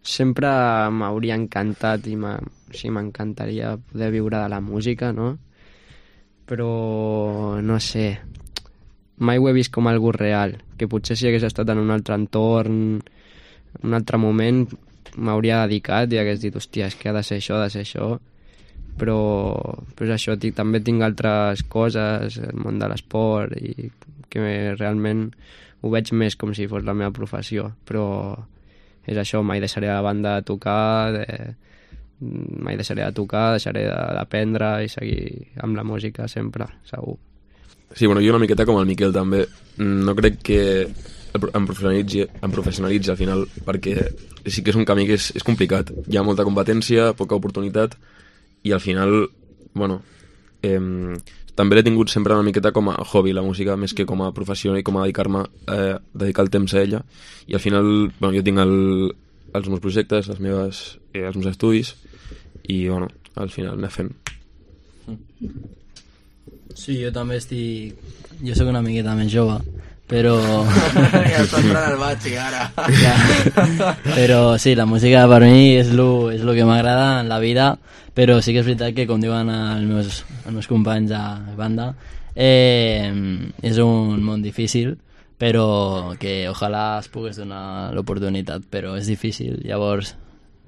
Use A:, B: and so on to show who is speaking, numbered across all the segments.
A: sempre m'hauria encantat i m'encantaria poder viure de la música, no? Però no sé, mai ho he vist com algo real, que potser si hagués estat en un altre entorn, en un altre moment, m'hauria dedicat i hagués dit, hòstia, és que ha de ser això, però és això, també tinc altres coses, el món de l'esport, i que realment ho veig més com si fos la meva professió, però és això, mai deixaré la banda de tocar, deixaré d'aprendre i seguir amb la música sempre, segur.
B: Sí, bueno, jo una miqueta com el Miquel també. No crec que em professionalitzi al final, perquè sí que és un camí que és complicat. Hi ha molta competència, poca oportunitat, i al final, bueno, també l'he tingut sempre una miqueta com a hobby, la música, més que com a professió i com a dedicar el temps a ella. I al final, bueno, jo tinc els meus projectes, els meus estudis, i bueno, al final anem fent.
C: Sí, jo també estic... Jo sóc una miqueta més jove, però...
D: Ja està entrant al batxi, ara.
C: Ja. Però sí, la música per mi és lo que m'agrada en la vida, però sí que és veritat que, com diuen els meus companys de banda, és un món difícil, però que ojalà es pogués donar l'oportunitat, però és difícil. Llavors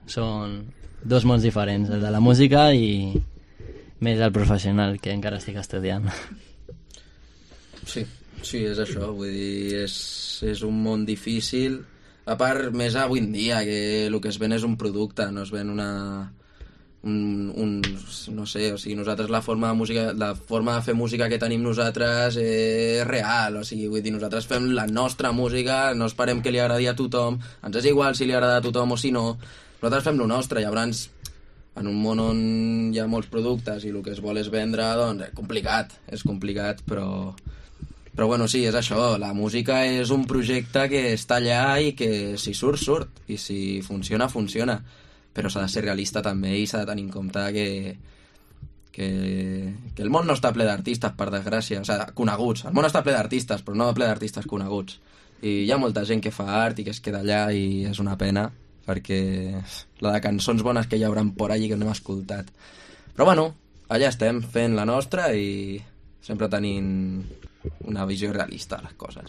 C: són dos mons diferents, el de la música i més el professional, que encara estic estudiant.
D: Sí, és això, vull dir, és un món difícil, a part més avui en dia, que el que es ven és un producte, no es ven no sé, o sigui, nosaltres la forma de fer música que tenim nosaltres és real, o sigui, vull dir, nosaltres fem la nostra música, no esperem que li agradi a tothom, ens és igual si li agrada a tothom o si no, nosaltres fem lo nostre, llavors en un món on hi ha molts productes i el que es vol és vendre, doncs és complicat, però bueno, sí, és això, la música és un projecte que està allà i que si surt, i si funciona, però s'ha de ser realista també i s'ha de tenir en compte que el món no està ple d'artistes, per desgràcia, o sigui, coneguts, el món està ple d'artistes, però no ple d'artistes coneguts, i hi ha molta gent que fa art i que es queda allà i és una pena, perquè la de cançons bones que hi hauran por allí que no hem escoltat. Però bueno, allà estem fent la nostra i sempre tenint una visió realista de les coses.